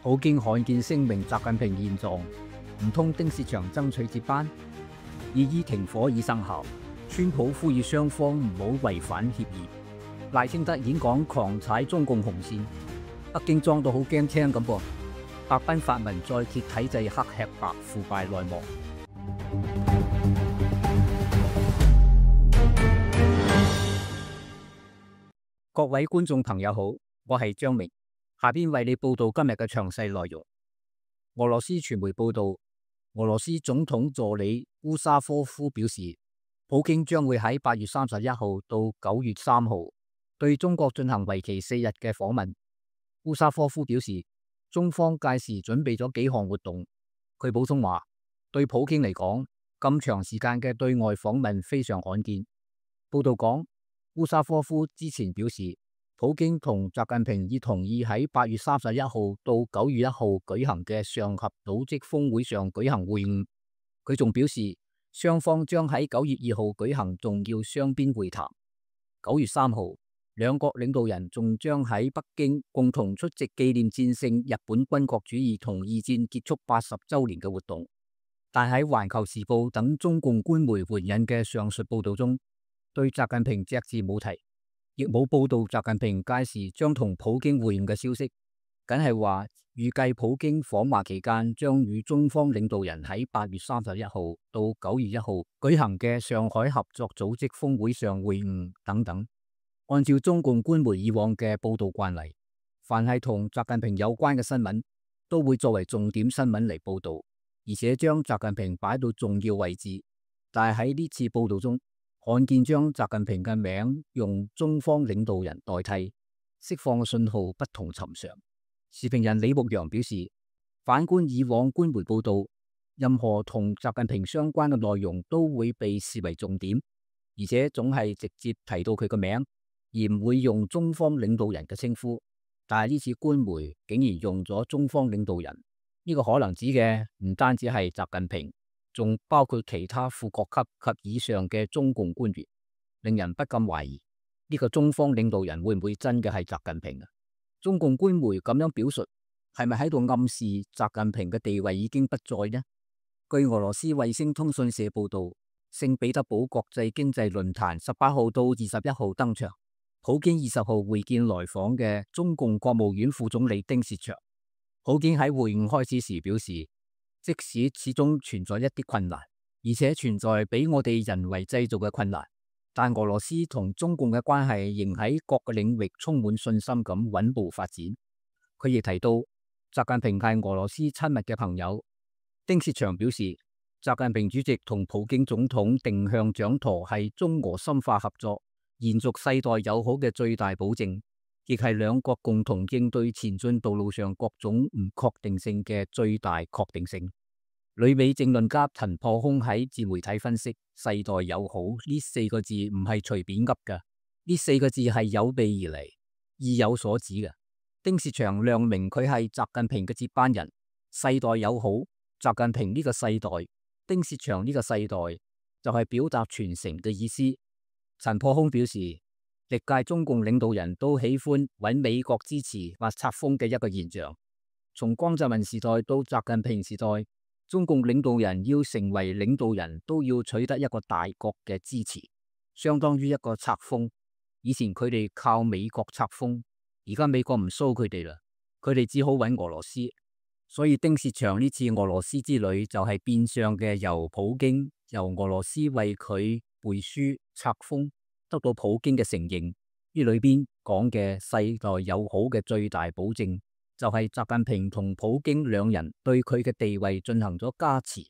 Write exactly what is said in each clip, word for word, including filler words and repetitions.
普京罕見聲明習近平現狀，唔通丁薛祥爭取接班？二伊停火已生效，川普呼籲雙方唔好違反協議。賴清德演講狂踩中共紅線，北京裝到好驚聽咁噃。白賓發文再揭體制黑吃白腐敗內幕。各位觀眾朋友好，我係張明，下邊為你報道今日嘅詳細內容。俄羅斯傳媒報道，俄羅斯總統助理烏沙科夫表示，普京將會喺八月三十一號到九月三號對中國進行為期四日嘅訪問。烏沙科夫表示，中方屆時準備咗幾項活動。佢補充話，對普京嚟講，咁長時間嘅對外訪問非常罕見。報道講，烏沙科夫之前表示，普京同習近平已同意喺八月三十一號到九月一號舉行嘅上合組織峰會上舉行會晤。佢仲表示，雙方將喺九月二號舉行重要雙邊會談。九月三號，兩國領導人仲將喺北京共同出席紀念戰勝日本軍國主義同二戰結束八十週年嘅活動。但喺《環球時報》等中共官媒援引嘅上述報道中，對習近平隻字冇提，亦冇報道習近平屆時將同普京會晤嘅消息，僅係話預計普京訪華期間將與中方領導人喺八月三十一號到九月一號舉行嘅上海合作組織峰會上會晤等等。按照中共官媒以往嘅報道慣例，凡係同習近平有關嘅新聞，都會作為重點新聞嚟報道，而且將習近平擺到重要位置。但係喺呢次報道中，罕見將習近平嘅名用中方領導人代替，釋放嘅信號不同尋常。時評人李牧陽表示，反觀以往官媒報道，任何同習近平相關嘅內容都會被視為重點，而且總係直接提到佢嘅名，而唔會用中方領導人嘅稱呼。但係呢次官媒竟然用咗中方領導人，呢個可能指嘅唔單止係習近平，仲包括其他副國級及以上嘅中共官員，令人不禁懷疑呢個中方領導人會唔會真嘅係習近平啊？中共官媒咁樣表述，係咪喺度暗示習近平嘅地位已經不在呢？據俄羅斯衛星通訊社報道，聖彼得堡國際經濟論壇十八號到二十一號登場，普京二十號會見來訪嘅中共國務院副總理丁薛祥。普京喺會晤開始時表示，即使始終存在一啲困難，而且存在比我哋人為製造嘅困難，但俄羅斯同中共嘅關係仍喺各個領域充滿信心咁穩步發展。佢亦提到，習近平係俄羅斯親密嘅朋友。丁薛祥表示，習近平主席同普京總統定向掌舵係中俄深化合作、延續世代友好嘅最大保證，亦係兩國共同應對前進道路上各種唔確定性嘅最大確定性。旅美政論家陳破空喺自媒體分析，世代友好呢四個字唔係隨便噏㗎，呢四個字係有備而嚟，意有所指嘅。丁薛祥亮明佢係習近平嘅接班人，世代友好，習近平呢個世代，丁薛祥呢個世代就係表達傳承嘅意思。陳破空表示，歷屆中共領導人都喜歡揾美國支持或冊封嘅一個現象。從江澤民時代到習近平時代，中共領導人要成為領導人都要取得一個大國嘅支持，相當於一個冊封。以前佢哋靠美國冊封，而家美國唔蘇佢哋啦，佢哋只好揾俄羅斯。所以丁薛祥呢次俄羅斯之旅就係變相嘅由普京由俄羅斯為佢背書冊封，得到普京嘅承認。呢裏邊講嘅世代友好嘅最大保證，就係習近平同普京兩人對佢嘅地位進行咗加持。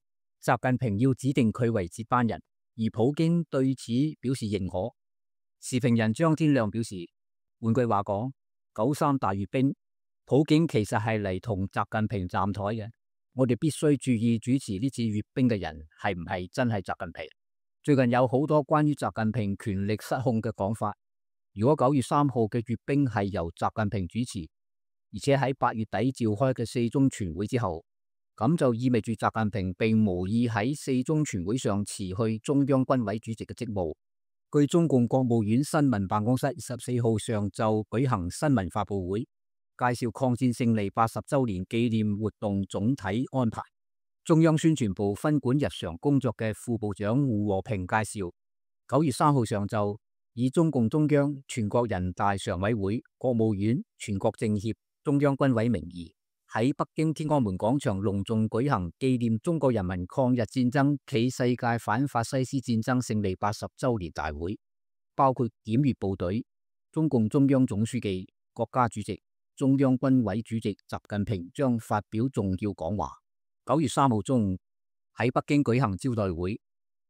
習近平要指定佢為接班人，而普京對此表示認可。時評人張天亮表示，換句話講，九三大閱兵，普京其實係嚟同習近平站台嘅。我哋必須注意主持呢次閱兵嘅人係唔係真係習近平。最近有好多關於習近平權力失控嘅講法。如果九月三號嘅閱兵係由習近平主持，而且喺八月底召開嘅四中全會之後，咁就意味住習近平並無意喺四中全會上辭去中央軍委主席嘅職務。據中共國務院新聞辦公室十四號上晝舉行新聞發佈會，介紹抗戰勝利八十週年紀念活動總體安排。中央宣傳部分管日常工作嘅副部長胡和平介紹，九月三號上晝，以中共中央、全國人大常委會、國務院、全國政協、中央軍委名義，喺北京天安門廣場隆重舉行紀念中國人民抗日戰爭暨世界反法西斯戰爭勝利八十週年大會，包括檢閱部隊、中共中央總書記、國家主席、中央軍委主席習近平將發表重要講話。九月三號中午喺北京舉行招待會，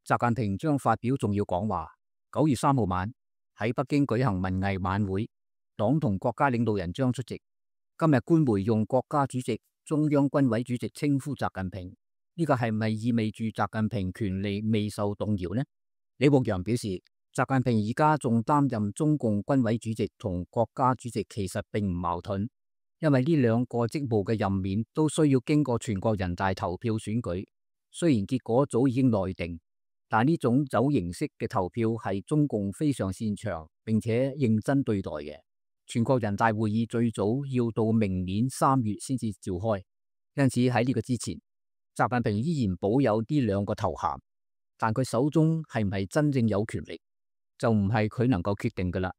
習近平將發表重要講話。九月三號晚喺北京舉行文藝晚會，黨同國家領導人將出席。今日官媒用國家主席、中央軍委主席稱呼習近平，呢個係咪意味住習近平權力未受動搖呢？李牧陽表示，習近平而家仲擔任中共軍委主席同國家主席，其實並唔矛盾。因為呢兩個職務嘅任免都需要經過全國人大投票選舉，雖然結果早已經內定，但呢種走形式嘅投票係中共非常擅長並且認真對待嘅。全國人大會議最早要到明年三月先至召開，因此喺呢個之前，習近平依然保有呢兩個頭銜，但佢手中係唔係真正有權力，就唔係佢能夠決定噶啦。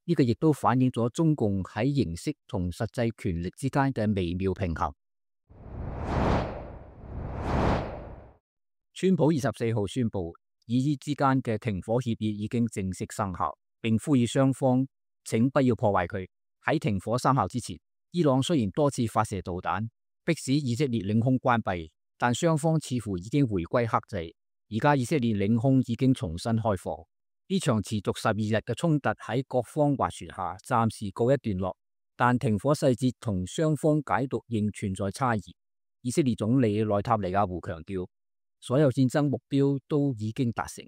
呢個亦都反映咗中共喺形式同實際權力之間嘅微妙平衡。川普二十四號宣布，以伊之間嘅停火協議已經正式生效，並呼籲雙方請不要破壞佢。喺停火生效之前，伊朗雖然多次發射導彈，迫使以色列領空關閉，但雙方似乎已經回歸克制。而家以色列領空已經重新開放。呢場持續十二日嘅衝突喺各方斡旋下暫時告一段落，但停火細節同雙方解讀仍存在差異。以色列總理內塔尼亞胡強調，所有戰爭目標都已經達成，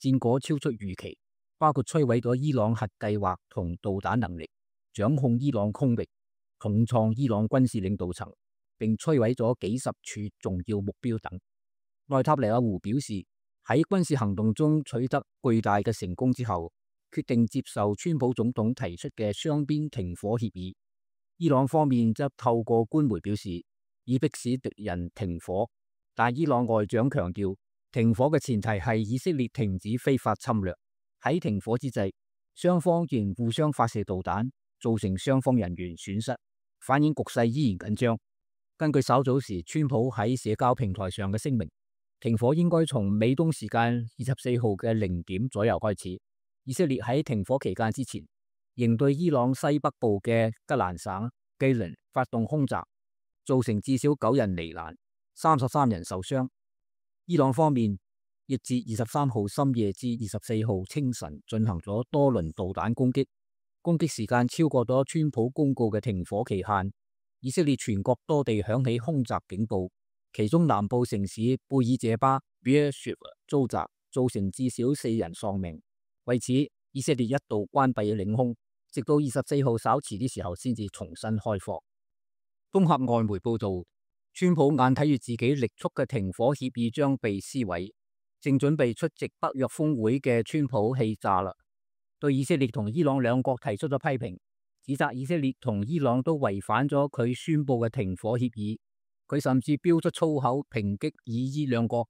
戰果超出預期，包括摧毀咗伊朗核計劃同導彈能力，掌控伊朗空域，重創伊朗軍事領導層，並摧毀咗幾十處重要目標等。內塔尼亞胡表示，喺軍事行動中取得巨大嘅成功之後，決定接受川普總統提出嘅雙邊停火協議。伊朗方面則透過官媒表示，以迫使敵人停火，但伊朗外長強調，停火嘅前提係以色列停止非法侵略。喺停火之際，雙方仍互相發射導彈，造成雙方人員損失，反映局勢依然緊張。根據稍早時川普喺社交平台上嘅聲明，停火應該從美東時間二十四號嘅零點左右開始。以色列喺停火期間之前，仍對伊朗西北部嘅吉蘭省基倫發動空襲，造成至少九人罹難，三十三人受傷。伊朗方面亦自二十三號深夜至二十四號清晨進行咗多輪導彈攻擊，攻擊時間超過咗川普公告嘅停火期限。以色列全國多地響起空襲警報。其中南部城市貝爾謝巴 Beersheba 遭襲，造成至少四人喪命。為此，以色列一度關閉領空，直到二十四號稍遲啲時候先至重新開放。綜合外媒報道，川普眼睇住自己力促嘅停火協議將被撕毀，正準備出席北約峰會嘅川普氣炸啦，對以色列同伊朗兩國提出咗批評，指責以色列同伊朗都違反咗佢宣布嘅停火協議。佢甚至飆出粗口抨擊以伊兩國，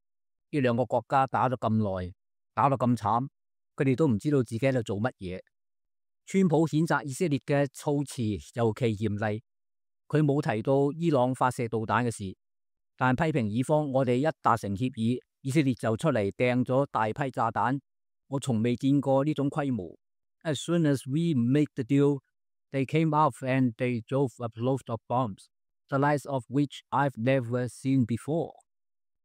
呢兩個國家打咗咁耐，打到咁慘，佢哋都唔知道自己喺度做乜嘢。川普譴責以色列嘅措辭尤其嚴厲，佢冇提到伊朗發射導彈嘅事，但批評以方，我哋一達成協議，以色列就出嚟掟咗大批炸彈，我從未見過呢種規模。As soon as we make the deal, they came out and they drove a load of bombs.The likes of which I've never seen before。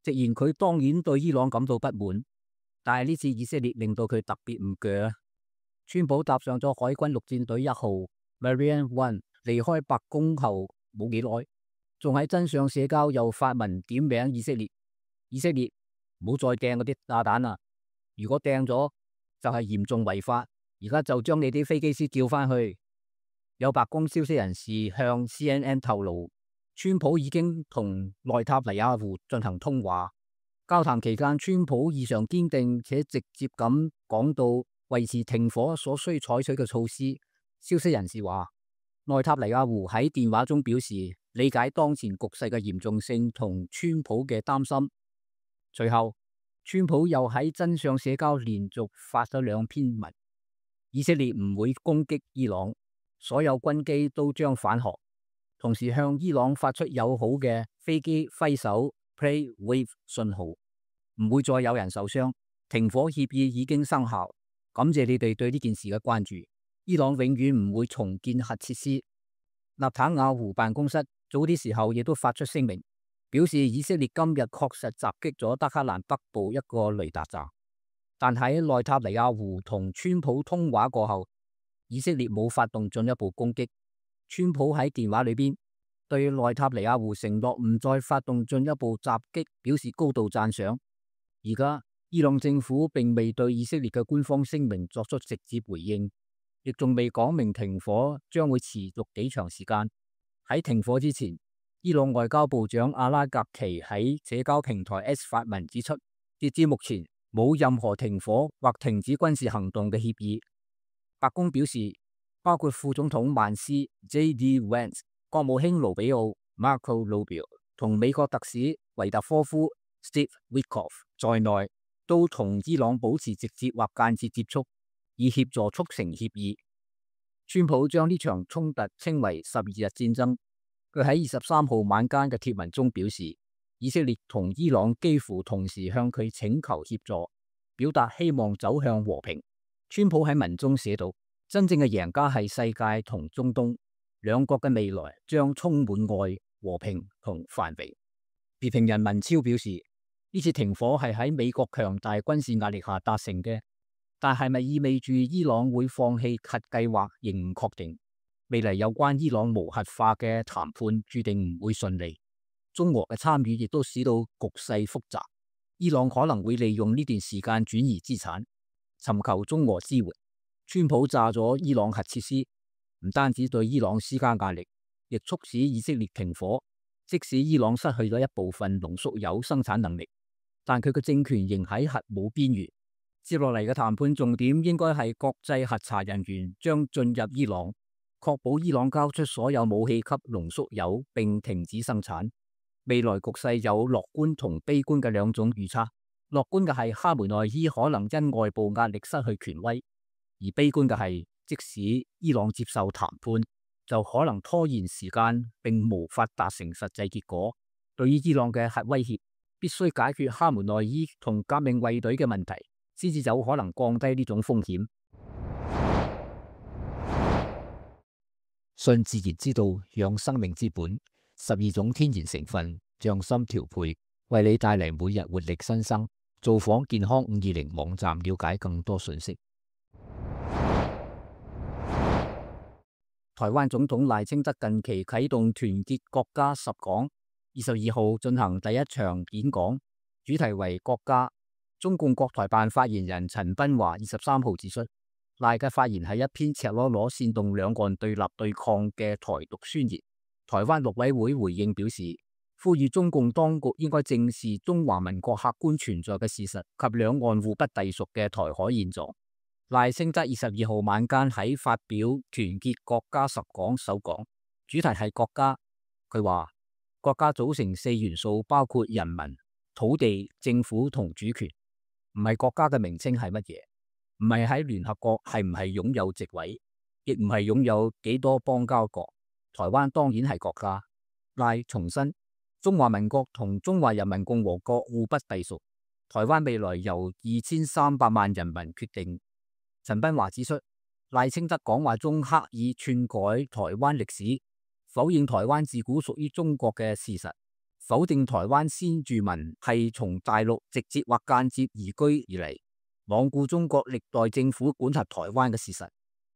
直言佢當然對伊朗感到不滿，但係呢次以色列令到佢特別唔鋸。川普搭上咗海軍陸戰隊一號 Marine One 離開白宮後冇幾耐，仲喺真相社交又發文點名以色列，以色列唔好再掟嗰啲炸彈啦！如果掟咗就係嚴重違法，而家就將你啲飛機師叫翻去。有白宮消息人士向 C N N 透露，川普已經同內塔尼亞胡進行通話，交談期間，川普異常堅定且直接咁講到維持停火所需採取嘅措施。消息人士話，內塔尼亞胡喺電話中表示理解當前局勢嘅嚴重性同川普嘅擔心。隨後，川普又喺真相社交連續發咗兩篇文，以色列唔會攻擊伊朗，所有軍機都將返航，同時向伊朗發出友好嘅飛機揮手 Play Wave 信號，唔會再有人受傷，停火協議已經生效，感謝你哋對呢件事嘅關注。伊朗永遠唔會重建核設施。納坦雅胡辦公室早啲時候亦都發出聲明，表示以色列今日確實襲擊咗德黑蘭北部一個雷達站，但喺內塔尼亞胡同川普通話過後，以色列冇發動進一步攻擊。川普喺電話裏邊對內塔尼亞胡承諾唔再發動進一步襲擊表示高度讚賞。而家伊朗政府並未對以色列嘅官方聲明作出直接回應，亦仲未講明停火將會持續幾長時間。喺停火之前，伊朗外交部長阿拉格奇喺社交平台 X 發文指出，截至目前冇任何停火或停止軍事行動嘅協議。白宮表示，包括副總統曼斯 J D Vance、國務卿盧比奧 Marco Rubio 同美國特使維特科夫 Steve Witkoff 在內，都同伊朗保持直接或間接接觸，以協助促成協議。川普將呢場衝突稱為十二日戰爭。佢喺二十三號晚間嘅貼文中表示，以色列同伊朗幾乎同時向佢請求協助，表達希望走向和平。川普喺文中寫道，真正嘅贏家係世界同中東，兩國嘅未來將充滿愛、和平同繁榮。時評人文超表示，呢次停火係喺美國強大軍事壓力下達成嘅，但係咪意味住伊朗會放棄核計劃仍唔確定。未來有關伊朗無核化嘅談判注定唔會順利，中俄嘅參與亦都使到局勢複雜。伊朗可能會利用呢段時間轉移資產，尋求中俄支援。川普炸咗伊朗核設施，唔單止對伊朗施加壓力，亦促使以色列停火。即使伊朗失去咗一部分濃縮鈾生產能力，但佢嘅政權仍喺核武邊緣。接落嚟嘅談判重點應該係國際核查人員將進入伊朗，確保伊朗交出所有武器級濃縮鈾並停止生產。未來局勢有樂觀同悲觀嘅兩種預測。樂觀嘅係哈梅內伊可能因外部壓力失去權威，而悲觀嘅係即使伊朗接受談判，就可能拖延時間並無法達成實際結果。對於伊朗嘅核威脅，必須解決哈梅內伊同革命衛隊嘅問題，先至有可能降低呢種風險。信自然之道，養生命之本，十二種天然成分，匠心調配，為你帶嚟每日活力新生。造訪健康五二零網站了解更多信息。台灣總統賴清德近期啟動團結國家十講，二十二號進行第一場演講，主題為國家。中共國台辦發言人陳斌華二十三號指出，賴嘅發言係一篇赤裸裸煽動兩岸對立對抗嘅台獨宣言。台灣陸委會回應表示，呼籲中共當局應該正視中華民國客觀存在嘅事實及兩岸互不隸屬嘅台海現狀。賴清德二十二號晚間喺發表團結國家十講首講，主題係國家。佢話國家組成四元素，包括人民、土地、政府同主權，唔係國家嘅名稱係乜嘢，唔係喺聯合國係唔係擁有席位，亦唔係擁有幾多邦交國。台灣當然係國家。賴重申，中華民國同中華人民共和國互不隸屬，台灣未來由二千三百萬人民決定。陳斌華指出，賴清德講話中刻意篡改台灣歷史，否認台灣自古屬於中國嘅事實，否定台灣先住民係從大陸直接或間接移居而嚟，罔顧中國歷代政府管轄台灣嘅事實，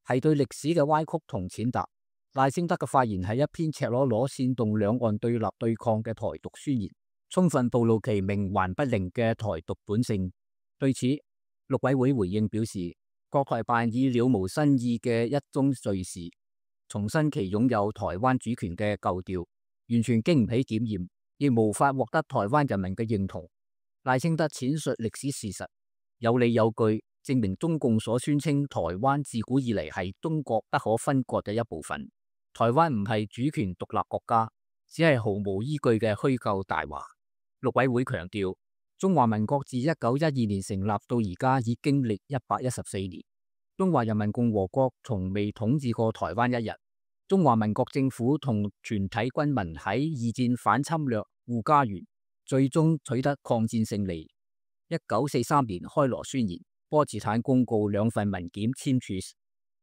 係對歷史嘅歪曲同踐踏。賴清德嘅發言係一篇赤裸裸煽動兩岸對立對抗嘅台獨宣言，充分暴露其冥頑不靈嘅台獨本性。對此，陸委會回應表示，國台辦以了無新意嘅一宗罪事，重申其擁有台灣主權嘅舊調，完全經唔起檢驗，亦無法獲得台灣人民嘅認同。賴清德闡述歷史事實，有理有據，證明中共所宣稱台灣自古以嚟係中國不可分割嘅一部分。台灣唔係主權獨立國家，只係毫無依據嘅虛構大話。陸委會強調，中華民國自一九一二年成立到而家已經歷一百一十四年，中華人民共和國從未統治過台灣一日。中華民國政府同全體軍民喺二戰反侵略護家園，最終取得抗戰勝利。一九四三年開羅宣言、波茨坦公告兩份文件簽署時，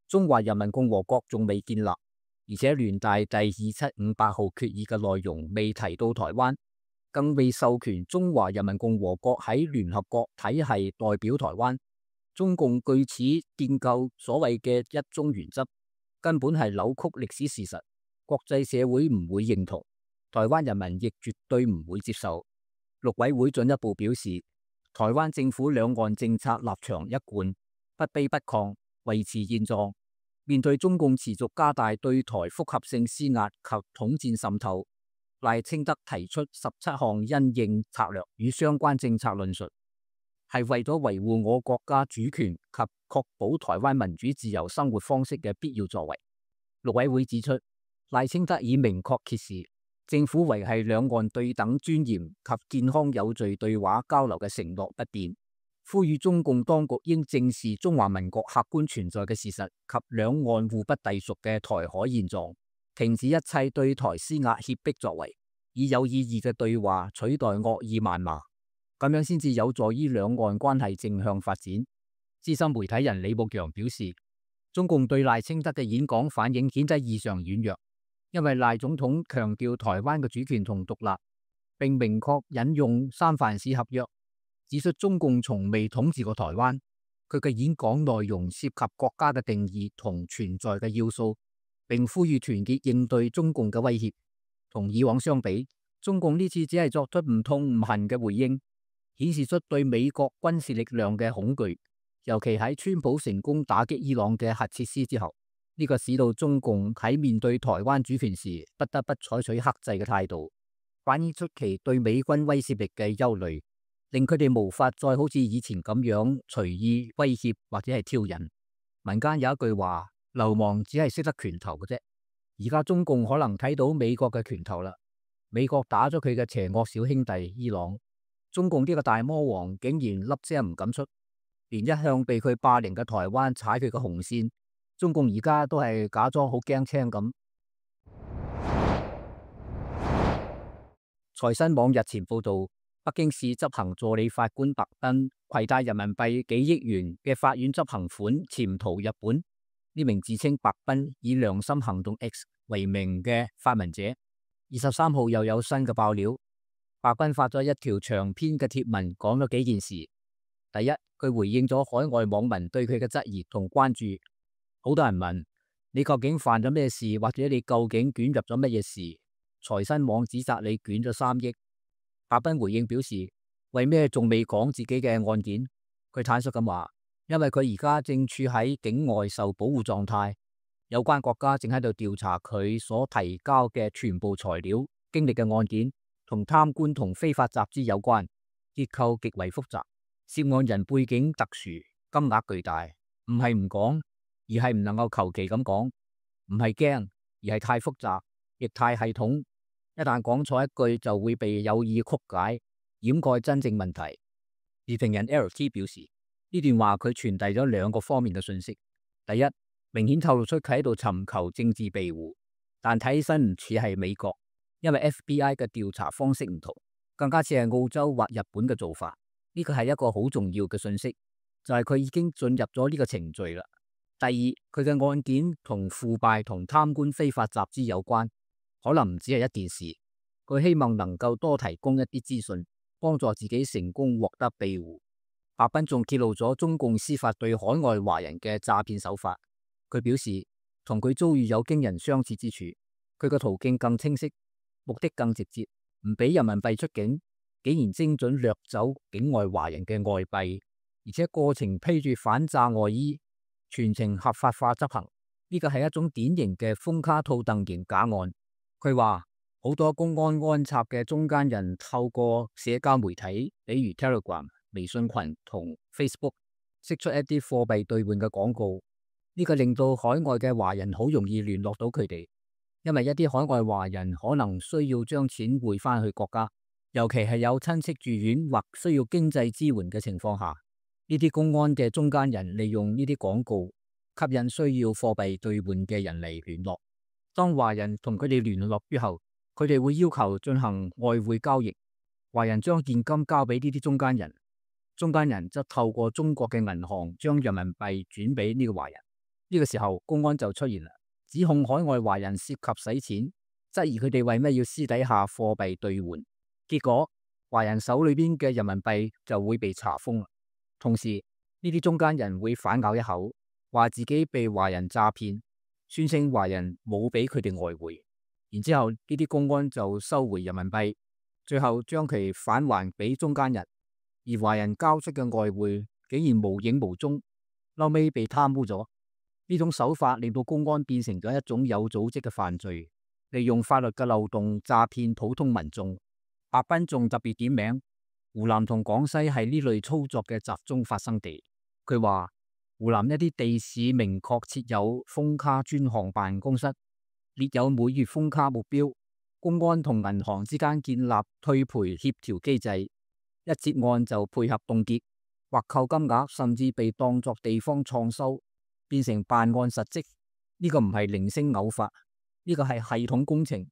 中華人民共和國仲未建立，而且聯大第二七五八號決議嘅內容未提到台灣，更未授權中華人民共和國喺聯合國體系代表台灣。中共據此建構所謂嘅一中原則，根本係扭曲歷史事實，國際社會唔會認同，台灣人民亦絕對唔會接受。陸委會進一步表示，台灣政府兩岸政策立場一貫，不卑不亢，維持現狀。面對中共持續加大對台複合性施壓及統戰滲透，賴清德提出十七項因應策略與相關政策論述，係為咗維護我國家主權及確保台灣民主自由生活方式嘅必要作為。陸委會指出，賴清德已明確揭示政府維繫兩岸對等尊嚴及健康有序對話交流嘅承諾不變，呼籲中共當局應正視中華民國客觀存在嘅事實及兩岸互不隸屬嘅台海現狀，停止一切對台施壓脅迫作為，以有意義嘅對話取代惡意謾罵，咁樣先至有助於兩岸關係正向發展。資深媒體人李牧陽表示，中共對賴清德嘅演講反應顯得異常軟弱。因為賴總統強調台灣嘅主權同獨立，並明確引用三藩市合約，指出中共從未統治過台灣。佢嘅演講內容涉及國家嘅定義同存在嘅要素，並呼籲團結應對中共嘅威脅。同以往相比，中共呢次只係作出唔痛唔恨嘅回應，顯示出對美國軍事力量嘅恐懼，尤其喺川普成功打擊伊朗嘅核設施之後。呢個使到中共喺面對台灣主權時不得不採取克制嘅態度，反映出其對美軍威懾力嘅憂慮，令佢哋無法再好似以前咁樣隨意威脅或者係挑釁。民間有一句話，流氓只係識得拳頭嘅啫。而家中共可能睇到美國嘅拳頭啦，美國打咗佢嘅邪惡小兄弟伊朗，中共呢個大魔王竟然粒聲唔敢出，連一向被佢霸凌嘅台灣踩佢嘅紅線。中共而家都係假裝好驚青咁。財新網日前報道，北京市執行助理法官白斌攜帶人民幣幾億元嘅法院執行款潛逃日本。呢名自稱白斌以良心行動 X 為名嘅發文者，二十三號又有新嘅爆料。白斌發咗一條長篇嘅貼文，講咗幾件事。第一，佢回應咗海外網民對佢嘅質疑同關注。好多人問你究竟犯咗咩事，或者你究竟捲入咗乜嘢事？財新網指責你捲咗三億。白斌回應表示，為咩仲未講自己嘅案件？佢坦率咁話，因為佢而家正處喺境外受保護狀態，有關國家正喺度調查佢所提交嘅全部材料，經歷嘅案件同貪官同非法集資有關，結構極為複雜，涉案人背景特殊，金額巨大，唔係唔講。而係唔能夠求其咁講，唔係驚，而係太複雜，亦太系統。一旦講錯一句，就會被有意曲解，掩蓋真正問題。時評人 L T 表示，呢段話佢傳遞咗兩個方面嘅信息。第一，明顯透露出佢喺度尋求政治庇護，但睇起身唔似係美國，因為 F B I 嘅調查方式唔同，更加似係澳洲或日本嘅做法。呢個係一個好重要嘅信息，就係佢已經進入咗呢個程序啦。第二，佢嘅案件同腐敗同貪官非法集資有關，可能唔只係一件事。佢希望能夠多提供一啲資訊，幫助自己成功獲得庇護。白斌仲揭露咗中共司法對海外華人嘅詐騙手法。佢表示，同佢遭遇有驚人相似之處，佢嘅途徑更清晰，目的更直接，唔俾人民幣出境，竟然精準掠走境外華人嘅外幣，而且過程披住反詐外衣，全程合法化執行。呢個係一種典型嘅封卡套戥型假案。佢話好多公安安插嘅中間人透過社交媒體，比如 Telegram、微信群同 Facebook， 釋出一啲貨幣兌換嘅廣告。呢個令到海外嘅華人好容易聯絡到佢哋，因為一啲海外華人可能需要將錢匯翻去國家，尤其係有親戚住院或需要經濟支援嘅情況下，呢啲公安嘅中間人利用呢啲廣告吸引需要貨幣兌換嘅人嚟聯絡。當華人同佢哋聯絡之後，佢哋會要求進行外匯交易，華人將現金交俾呢啲中間人，中間人則透過中國嘅銀行將人民幣轉俾呢個華人。呢個時候公安就出現啦，指控海外華人涉及洗錢，質疑佢哋為咩要私底下貨幣兌換。結果華人手裏邊嘅人民幣就會被查封啦。同時呢啲中間人會反咬一口，話自己被華人詐騙，宣稱華人冇俾佢哋外匯。然之後呢啲公安就收回人民幣，最後將其返還俾中間人，而華人交出嘅外匯竟然無影無蹤，後尾被貪污咗。呢種手法令到公安變成咗一種有組織嘅犯罪，利用法律嘅漏洞詐騙普通民眾。白彬仲特別點名湖南同廣西係呢類操作嘅集中發生地。佢話湖南一啲地市明確設有封卡專項辦公室，列有每月封卡目標，公安同銀行之間建立退賠協調機制，一接案就配合凍結或扣金額，甚至被當作地方創收，變成辦案實績。呢個唔係零星偶發，呢個係系統工程。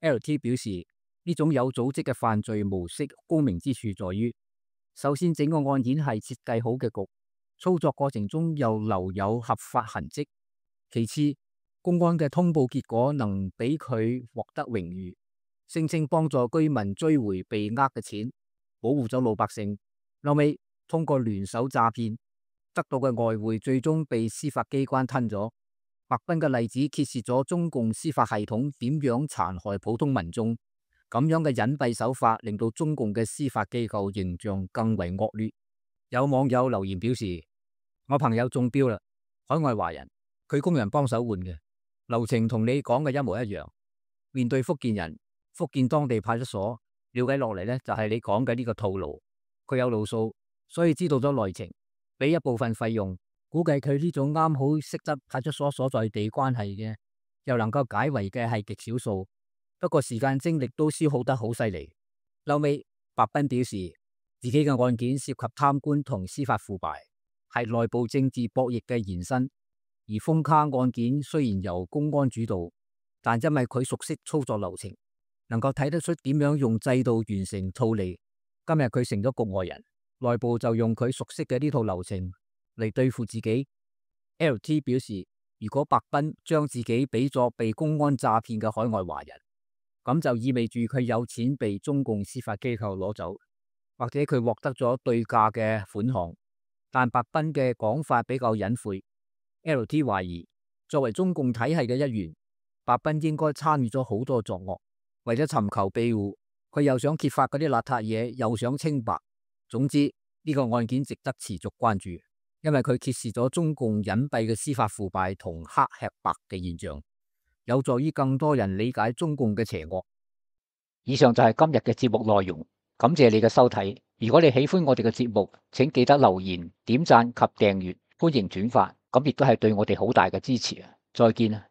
L T 表示呢種有組織嘅犯罪模式高明之處在於，首先整個案件係設計好嘅局，操作過程中又留有合法痕跡。其次，公安嘅通報結果能俾佢獲得榮譽，聲稱幫助居民追回被呃嘅錢，保護咗老百姓。後尾通過聯手詐騙得到嘅外匯最終被司法機關吞咗。白彬嘅例子揭示咗中共司法系統點樣殘害普通民眾，咁樣嘅隱蔽手法令到中共嘅司法機構形象更為惡劣。有網友留言表示，我朋友中標啦，海外華人，佢工人幫手換嘅，流程同你講嘅一模一樣。面對福建人，福建當地派出所了解落嚟呢，就係你講嘅呢個套路。佢有路數，所以知道咗內情，俾一部分費用。估計佢呢種啱好識得派出所所在地關係嘅，又能夠解圍嘅係極少數。不過時間精力都消耗得好犀利。後尾白彬表示自己嘅案件涉及貪官同司法腐敗，係內部政治博弈嘅延伸。而封卡案件雖然由公安主導，但因為佢熟悉操作流程，能夠睇得出點樣用制度完成套利。今日佢成咗局外人，內部就用佢熟悉嘅呢套流程嚟對付自己。L T 表示，如果白彬將自己俾咗被公安詐騙嘅海外華人，咁就意味住佢有錢被中共司法機構攞走，或者佢獲得咗對價嘅款項。但白彬嘅講法比較隱晦。L T 懷疑，作為中共體系嘅一員，白彬應該參與咗好多作惡，為咗尋求庇護，佢又想揭發嗰啲邋遢嘢，又想清白。總之呢個案件值得持續關注，因為佢揭示咗中共隱蔽嘅司法腐敗同黑吃白嘅現象，有助於更多人理解中共嘅邪惡。以上就係今日嘅節目內容，感謝你嘅收睇。如果你喜歡我哋嘅節目，請記得留言、點讚及訂閱，歡迎轉發，咁亦都係對我哋好大嘅支持啊！再見啊！